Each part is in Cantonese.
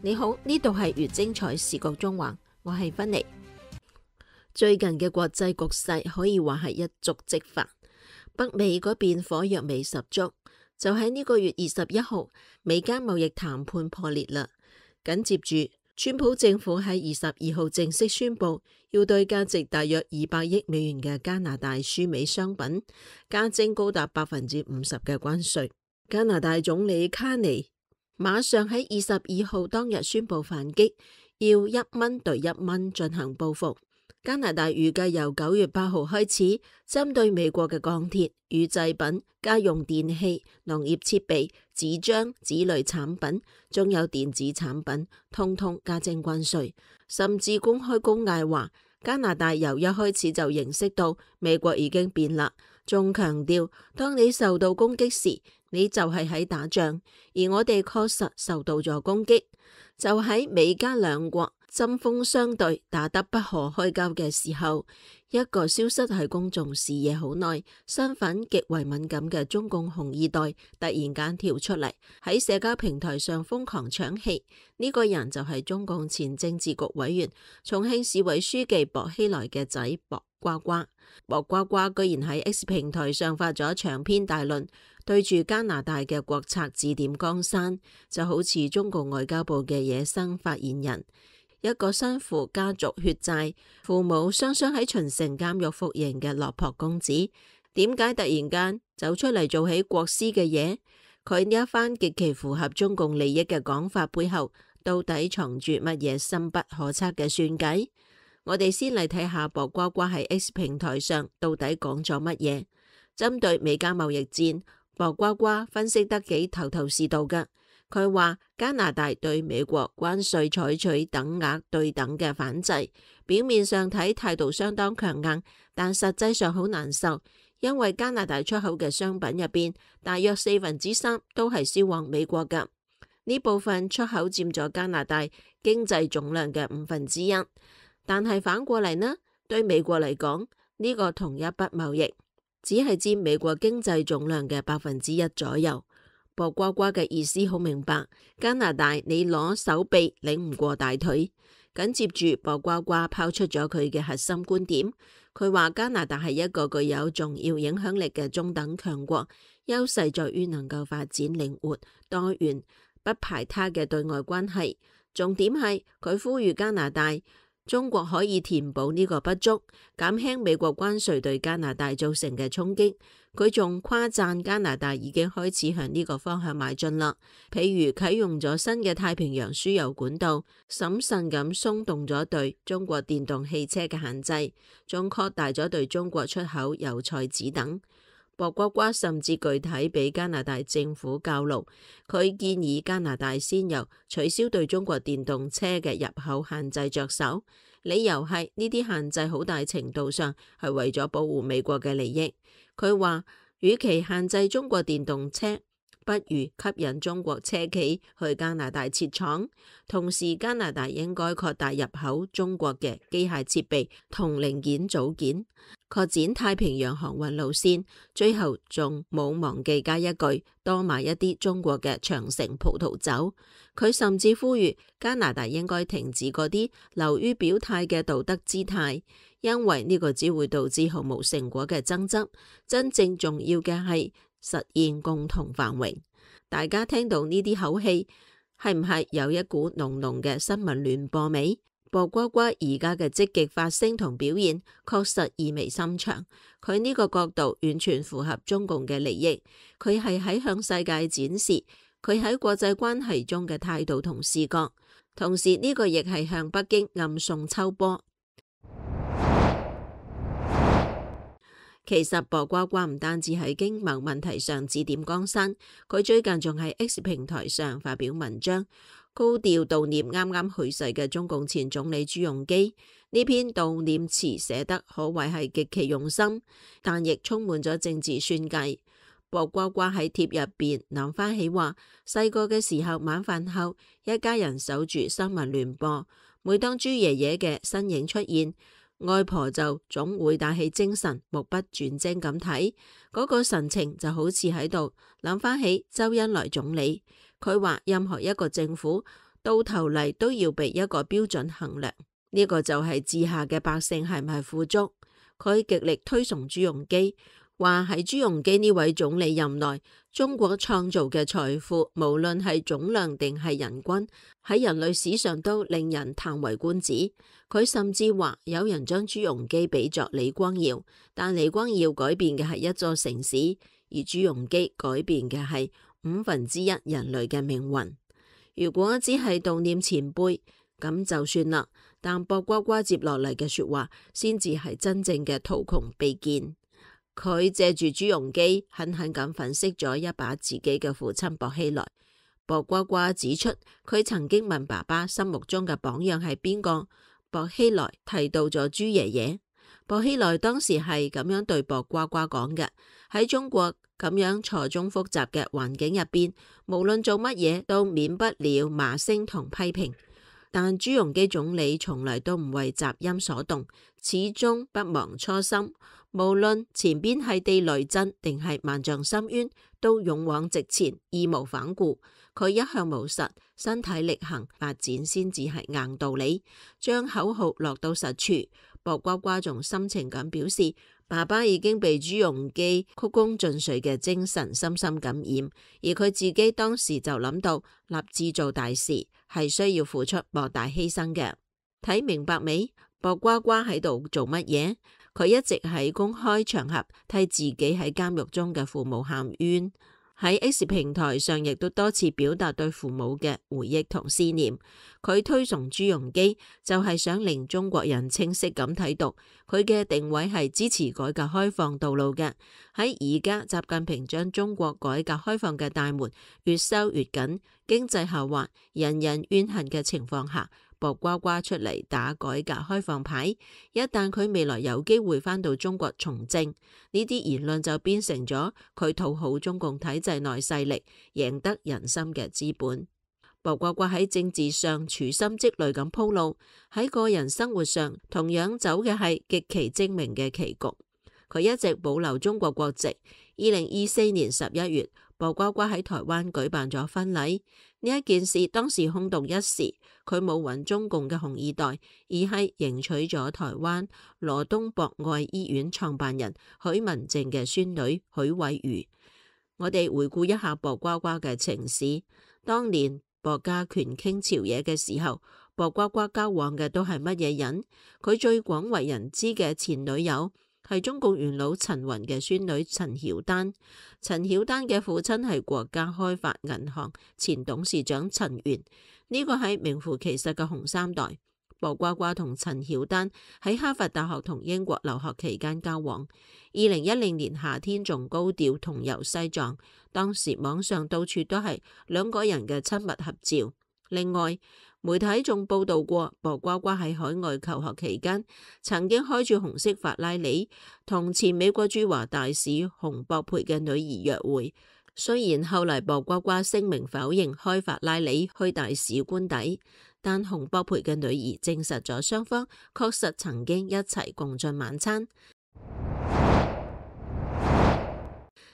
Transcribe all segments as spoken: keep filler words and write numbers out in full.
你好，呢度係越精彩視覺中環，我係芬妮。最近嘅國際局勢可以話係一觸即發，北美嗰邊火藥味十足。就喺呢個月二十一號，美加貿易談判破裂啦。緊接住，川普政府喺二十二號正式宣布，要對價值大約二百億美元嘅加拿大輸美商品加徵高達百分之五十嘅關稅。加拿大總理卡尼馬上喺二十二號當日宣布反擊，要一蚊對一蚊進行報復。加拿大預計由九月八號開始，針對美國嘅鋼鐵、乳製品、家用電器、農業設備、紙張、紙類產品，仲有電子產品，通通加徵關稅，甚至公開公嗌話，加拿大由一開始就認識到美國已經變啦，仲強調當你受到攻擊時，你就係喺打仗，而我哋確實受到咗攻擊，就喺美加兩國針鋒相對、打得不可開交嘅時候，一個消失喺公眾視野好耐、身份極為敏感嘅中共紅二代突然間跳出嚟，喺社交平台上瘋狂搶戲。呢、這個人就係中共前政治局委員、重慶市委書記薄熙來嘅仔薄瓜瓜。薄瓜瓜居然喺 X 平台上發咗長篇大論，對住加拿大嘅國策指點江山，就好似中共外交部嘅野生發言人。一個身負家族血債、父母雙雙喺秦城監獄服刑嘅落魄公子，點解突然間走出嚟做起國師嘅嘢？佢呢一番極其符合中共利益嘅講法背後，到底藏住乜嘢深不可測嘅算計？我哋先嚟睇下薄瓜瓜喺 X 平台上到底講咗乜嘢。針對美加貿易戰，薄瓜瓜分析得幾頭頭是道㗎。佢話加拿大對美國關稅採取等額對等嘅反制，表面上睇態度相當強硬，但實際上好難受，因為加拿大出口嘅商品入邊，大約四分之三都係銷往美國㗎。呢部分出口佔咗加拿大經濟總量嘅五分之一，但係反過嚟呢，對美國嚟講，呢個同一筆貿易只係佔美國經濟總量嘅百分之一左右。薄瓜瓜嘅意思好明白，加拿大你攞手臂擰唔過大腿。緊接住薄瓜瓜拋出咗佢嘅核心觀點，佢話加拿大係一個具有重要影響力嘅中等強國，優勢在於能夠發展靈活多元、不排他嘅對外關係。重點係佢呼籲加拿大中國可以填補呢個不足，減輕美國關稅對加拿大造成嘅衝擊。佢仲誇讚加拿大已經開始向呢個方向邁進啦，譬如啟用咗新嘅太平洋輸油管道，審慎咁鬆動咗對中國電動汽車嘅限制，仲擴大咗對中國出口油菜籽等。薄瓜瓜甚至具體俾加拿大政府教路，佢建議加拿大先由取消對中國電動車嘅入口限制着手，理由係呢啲限制好大程度上係為咗保護美國嘅利益。佢話，與其限制中國電動車，不如吸引中國車企去加拿大設廠，同時加拿大應該擴大入口中國嘅機械設備同零件組件，擴展太平洋航運路線，最後仲冇忘記加一句，多買一啲中國嘅長城葡萄酒。佢甚至呼籲加拿大應該停止嗰啲流於表態嘅道德姿態，因為呢個只會導致毫無成果嘅爭執，真正重要嘅係實現共同繁榮。大家聽到呢啲口氣，係唔係有一股濃濃嘅新聞聯播味？薄瓜瓜而家嘅積極發聲同表現，確實意味深長。佢呢個角度完全符合中共嘅利益。佢係喺向世界展示佢喺國際關係中嘅態度同視角，同時呢個亦係向北京暗送秋波。其實薄瓜瓜唔單止喺經貿問題上指點江山，佢最近仲喺 X 平台上發表文章，高調悼念啱啱去世嘅中共前總理朱鎔基。呢篇悼念詞寫得可謂係極其用心，但亦充滿咗政治算計。薄瓜瓜喺貼入邊諗翻起話，細個嘅時候晚飯後，一家人守住新聞聯播，每當朱爺爺嘅身影出現，外婆就總會打起精神，目不轉睛咁睇，嗰個神情就好似喺度諗翻起周恩來總理。佢話任何一個政府到頭嚟都要被一個標準衡量，呢、這個就係治下嘅百姓係唔係富足。佢極力推崇朱鎔基，話喺朱鎔基呢位總理任內，中國創造嘅財富，無論係總量定係人均，喺人類史上都令人嘆為觀止。佢甚至話有人將朱鎔基比作李光耀，但李光耀改變嘅係一座城市，而朱鎔基改變嘅係五分之一人類嘅命運。如果只係悼念前輩，咁就算啦。但薄瓜瓜接落嚟嘅說話，先至係真正嘅圖窮匕見。佢借住朱鎔基，狠狠咁粉飾咗一把自己嘅父親薄熙來。薄瓜瓜指出，佢曾經問爸爸心目中嘅榜樣係邊個，薄熙來提到咗朱爺爺。薄熙來當時係咁樣對薄瓜瓜講嘅：喺中國咁樣錯綜複雜嘅環境入邊，無論做乜嘢都免不了罵聲同批評。但朱鎔基總理從來都唔為雜音所動，始終不忘初心。無論前邊係地雷陣定係萬丈深淵，都勇往直前，義無反顧。佢一向務實，身體力行，發展先至係硬道理，將口號落到實處。薄瓜瓜仲深情咁表示，爸爸已經被朱鎔基曲躬盡瘁嘅精神深深感染，而佢自己當時就諗到立志做大事係需要付出莫大犧牲嘅。睇明白未？薄瓜瓜喺度做乜嘢？佢一直喺公開場合替自己喺監獄中嘅父母喊冤，喺 X 平台上亦都多次表達對父母嘅回憶同思念。佢推崇朱鎔基，就係想令中國人清晰咁睇到佢嘅定位係支持改革開放道路嘅。喺而家習近平將中國改革開放嘅大門越收越緊，經濟下滑，人人怨恨嘅情況下，薄瓜瓜出嚟打改革開放牌。一旦佢未來有機會返到中國從政，呢啲言論就變成咗佢討好中共體制內勢力、贏得人心嘅資本。薄瓜瓜喺政治上處心積慮咁鋪路，喺個人生活上同樣走嘅係極其精明嘅棋局。佢一直保留中國國籍。二零二四年十一月，薄瓜瓜喺台灣舉辦咗婚禮。呢一件事當時轟動一時，佢冇揾中共嘅紅二代，而係迎娶咗台灣羅東博愛醫院創辦人許文正嘅孫女許慧茹。我哋回顧一下薄瓜瓜嘅情史。當年薄家權傾朝野嘅時候，薄瓜瓜交往嘅都係乜嘢人？佢最廣為人知嘅前女友係中共元老陳雲嘅孫女陳曉丹。陳曉丹嘅父親係國家開發銀行前董事長陳元，呢個係名副其實嘅紅三代。薄瓜瓜同陳曉丹喺哈佛大學同英國留學期間交往，二零一零年夏天仲高調同遊西藏，當時網上到處都係兩個人嘅親密合照。另外，媒體仲報道過薄瓜瓜喺海外求學期間，曾經開住紅色法拉利同前美國駐華大使洪博培嘅女兒約會。雖然後嚟薄瓜瓜聲明否認開法拉利去大使官邸，但洪博培嘅女兒證實咗雙方確實曾經一齊共進晚餐。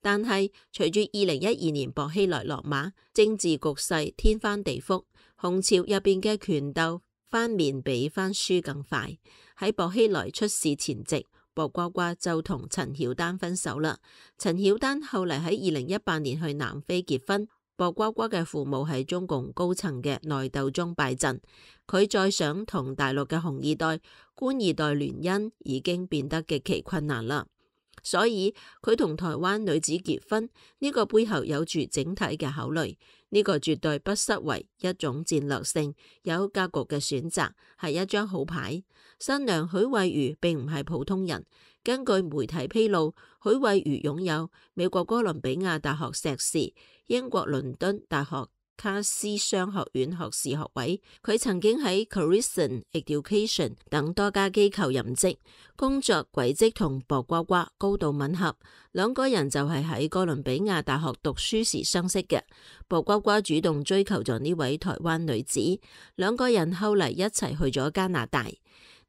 但係隨住二零一二年薄熙來落馬，政治局勢天翻地覆，紅潮入邊嘅權鬥翻面比翻書更快。喺薄熙來出事前夕，薄瓜瓜就同陳曉丹分手啦。陳曉丹後嚟喺二零一八年去南非結婚。薄瓜瓜嘅父母喺中共高層嘅內鬥中敗陣，佢再想同大陸嘅紅二代、官二代聯姻已經變得極其困難啦。所以佢同台灣女子結婚，呢個背後有住整體嘅考慮，呢個絕對不失為一種戰略性有格局嘅選擇，係一張好牌。新娘許慧茹並唔係普通人，根據媒體披露，許慧茹擁有美國哥倫比亞大學碩士、英國倫敦大學卡斯商學院學士學位，佢曾經喺 Clarison Education 等多家機構任職，工作軌跡同薄瓜瓜高度吻合。兩個人就係喺哥倫比亞大學讀書時相識嘅。薄瓜瓜主動追求咗呢位台灣女子，兩個人後嚟一齊去咗加拿大。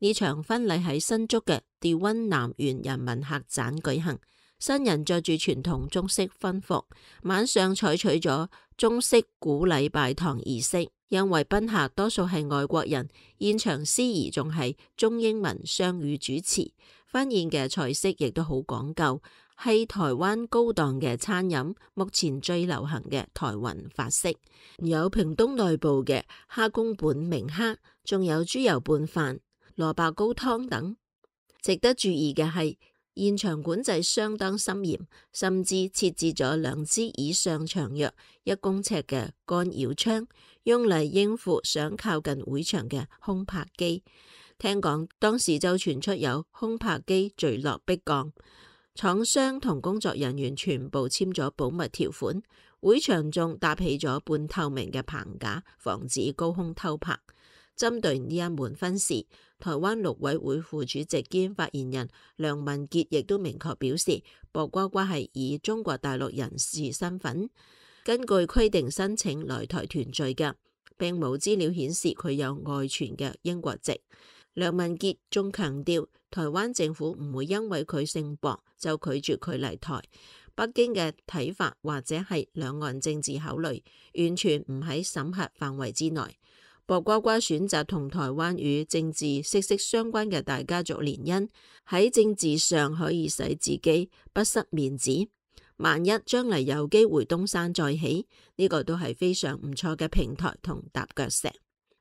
呢場婚禮喺新竹嘅調溫南園人民客棧舉行。新人着住傳統中式婚服，晚上採取咗中式古禮拜堂儀式。因為賓客多數係外國人，現場司儀仲係中英文雙語主持，婚宴嘅菜式亦都好講究，係台灣高檔嘅餐飲，目前最流行嘅台灣法式，有屏東內部嘅蝦公本明蝦，仲有豬油拌飯、蘿蔔糕湯等。值得注意嘅係，現場管制相當森嚴，甚至設置咗兩支以上長約一公尺嘅干擾槍，用嚟應付想靠近會場嘅空拍機。聽講當時就傳出有空拍機墜落迫降，廠商同工作人員全部簽咗保密條款，會場仲搭起咗半透明嘅棚架，防止高空偷拍。針對呢一門婚事，台灣陸委會副主席兼發言人梁文傑亦都明確表示，薄瓜瓜係以中國大陸人士身份根據規定申請來台團聚嘅，並冇資料顯示佢有外傳嘅英國籍。梁文傑仲強調，台灣政府唔會因為佢姓薄就拒絕佢嚟台。北京嘅睇法或者係兩岸政治考慮，完全唔喺審核範圍之內。薄瓜瓜選擇同台灣與政治息息相關嘅大家族聯姻，喺政治上可以使自己不失面子。萬一將來有機會東山再起，呢個都係非常唔錯嘅平台同踏腳石。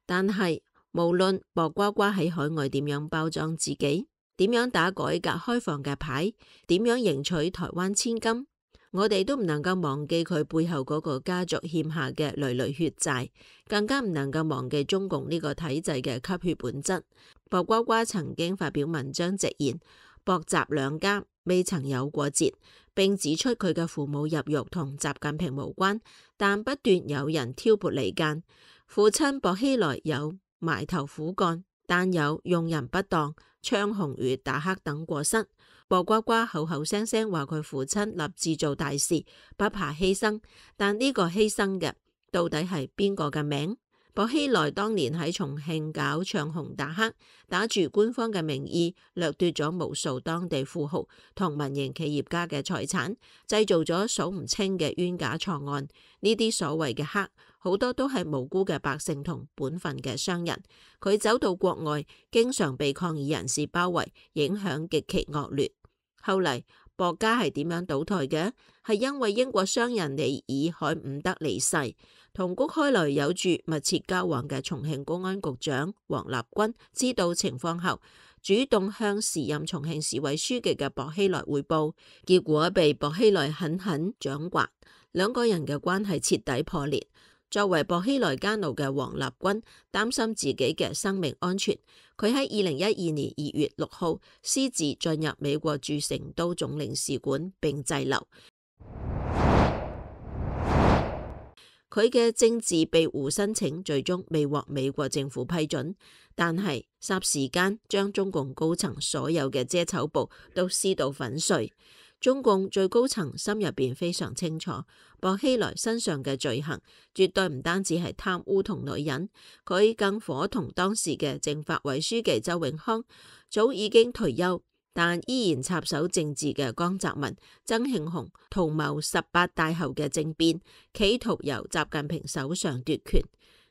但係無論薄瓜瓜喺海外點樣包裝自己，點樣打改革開放嘅牌，點樣贏取台灣千金，我哋都唔能夠忘記佢背後嗰個家族欠下嘅累累血債，更加唔能夠忘記中共呢個體制嘅吸血本質。薄瓜瓜曾經發表文章直言，薄習兩家未曾有過節，並指出佢嘅父母入獄同習近平無關，但不斷有人挑撥離間。父親薄熙來有埋頭苦幹，但有用人不當、唱紅與打黑等過失。薄瓜瓜口口聲聲話佢父親立志做大事，不怕犧牲，但呢個犧牲嘅到底係邊個嘅名？薄熙來當年喺重慶搞唱紅打黑，打住官方嘅名義，掠奪咗無數當地富豪同民營企業家嘅財產，製造咗數唔清嘅冤假錯案。呢啲所謂嘅黑，好多都係無辜嘅百姓同本分嘅商人。佢走到國外，經常被抗議人士包圍，影響極其惡劣。後嚟薄家係點樣倒台嘅？係因為英國商人尼爾海伍德離世，同谷開來有住密切交往嘅重慶公安局長王立軍知道情況後，主動向時任重慶市委書記嘅薄熙來匯報，結果被薄熙來狠狠掌摑，兩個人嘅關係徹底破裂。作為薄熙來家奴嘅王立軍擔心自己嘅生命安全，佢喺二零一二年二月六號私自進入美國駐成都總領事館並滯留。佢嘅政治庇護申請最終未獲美國政府批准，但係霎時間將中共高層所有嘅遮醜布都撕到粉碎。中共最高層心入邊非常清楚，薄熙來身上嘅罪行絕對唔單止係貪污同女人，佢更夥同當時嘅政法委書記周永康，早已經退休但依然插手政治嘅江澤民、曾慶紅圖謀十八大後嘅政變，企圖由習近平手上奪權。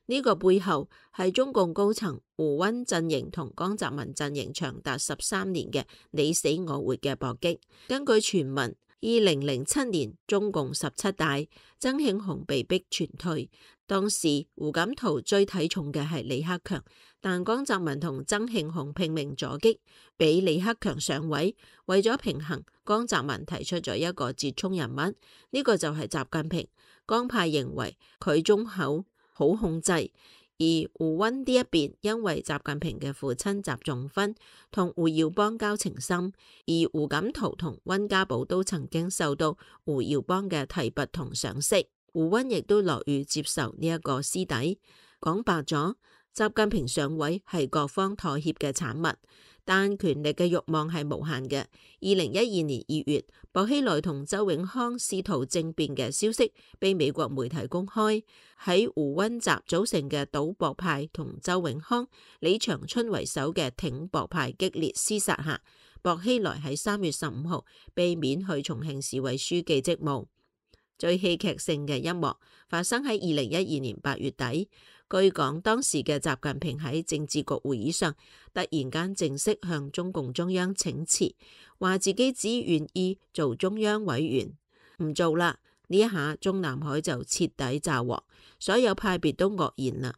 呢個背後係中共高層胡溫陣營同江澤民陣營長達十三年嘅你死我活嘅搏擊。根據傳聞，二零零七年中共十七大，曾慶紅被逼全退。當時胡錦濤最睇重嘅係李克強，但江澤民同曾慶紅拼命阻擊，俾李克強上位。為咗平衡，江澤民提出咗一個折衷人物，呢、這個就係習近平。江派認為佢忠厚好控制，而胡溫呢一邊因為習近平嘅父親習仲勳同胡耀邦交情深，而胡錦濤同溫家寶都曾經受到胡耀邦嘅提拔同賞識，胡溫亦都樂於接受呢一個師弟。講白咗，習近平上位係各方妥協嘅產物，但權力嘅慾望係無限嘅。二零一二年二月，薄熙來同周永康試圖政變嘅消息被美國媒體公開。喺胡溫集組成嘅倒薄派同周永康、李長春為首嘅挺薄派激烈廝殺下，薄熙來喺三月十五號被免去重慶市委書記職務。最戲劇性嘅一幕發生喺二零一二年八月底。據講，當時嘅習近平喺政治局會議上突然間正式向中共中央請辭，話自己只願意做中央委員，唔做啦。呢一下中南海就徹底炸鑊，所有派別都愕然啦。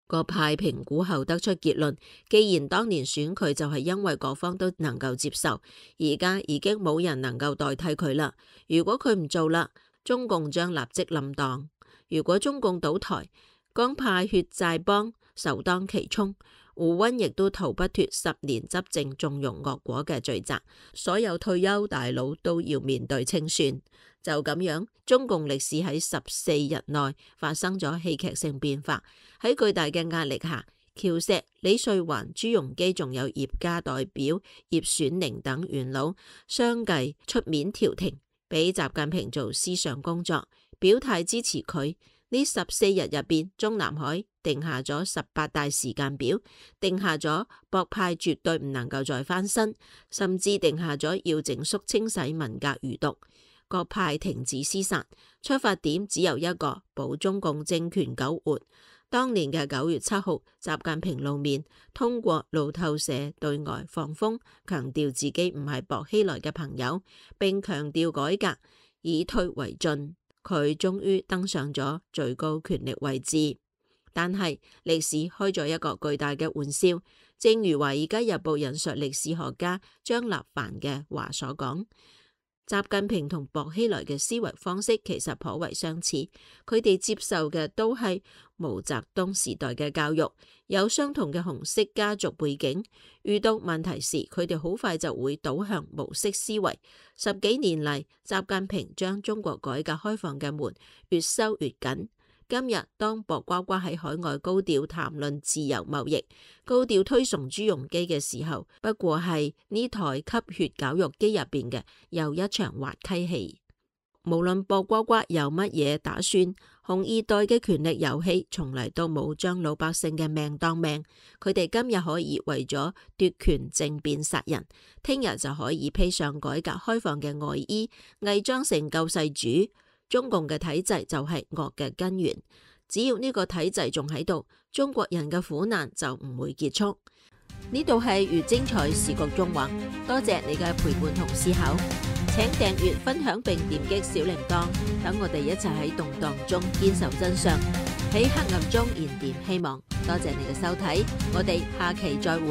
各派評估後得出結論，既然當年選佢就係因為各方都能夠接受，而家已經冇人能夠代替佢啦。如果佢唔做啦，中共將立即冧檔。如果中共倒台，江派血債幫首當其衝，胡溫亦都逃不脫十年執政縱容惡果嘅罪責，所有退休大佬都要面對清算。就咁樣，中共歷史喺十四日內發生咗戲劇性變化。喺巨大嘅壓力下，喬石、李瑞環、朱鎔基仲有葉家代表葉選寧等元老相繼出面調停，俾習近平做思想工作，表態支持佢。呢十四日入邊，中南海定下咗十八大時間表，定下咗博派絕對唔能夠再翻身，甚至定下咗要整肅清洗文革餘毒。各派停止廝殺，出發點只有一個，保中共政權苟活。當年嘅九月七號，習近平露面，通過路透社對外放風，強調自己唔係薄熙來嘅朋友，並強調改革以退為進。佢終於登上咗最高權力位置，但係歷史開咗一個巨大嘅玩笑。正如《華爾街日報》引述歷史學家張立凡嘅話所講，習近平同薄熙來嘅思維方式其實頗為相似，佢哋接受嘅都係毛澤東時代嘅教育，有相同嘅紅色家族背景。遇到問題時，佢哋好快就會倒向毛式思維。十幾年嚟，習近平將中國改革開放嘅門越收越緊。今日當薄瓜瓜喺海外高調談論自由貿易，高調推崇朱鎔基嘅時候，不過係呢台吸血絞肉機入邊嘅又一場滑稽戲。無論薄瓜瓜有乜嘢打算，紅二代嘅權力遊戲從嚟都冇將老百姓嘅命當命。佢哋今日可以為咗奪權政變殺人，聽日就可以披上改革開放嘅外衣，偽裝成救世主。中共嘅體制就係惡嘅根源，只要呢個體制仲喺度，中國人嘅苦難就唔會結束。呢度係越精彩時局縱橫，多謝你嘅陪伴同思考，請訂閱、分享並點擊小鈴鐺，等我哋一齊喺動盪中堅守真相，喺黑暗中燃點希望。多謝你嘅收睇，我哋下期再會。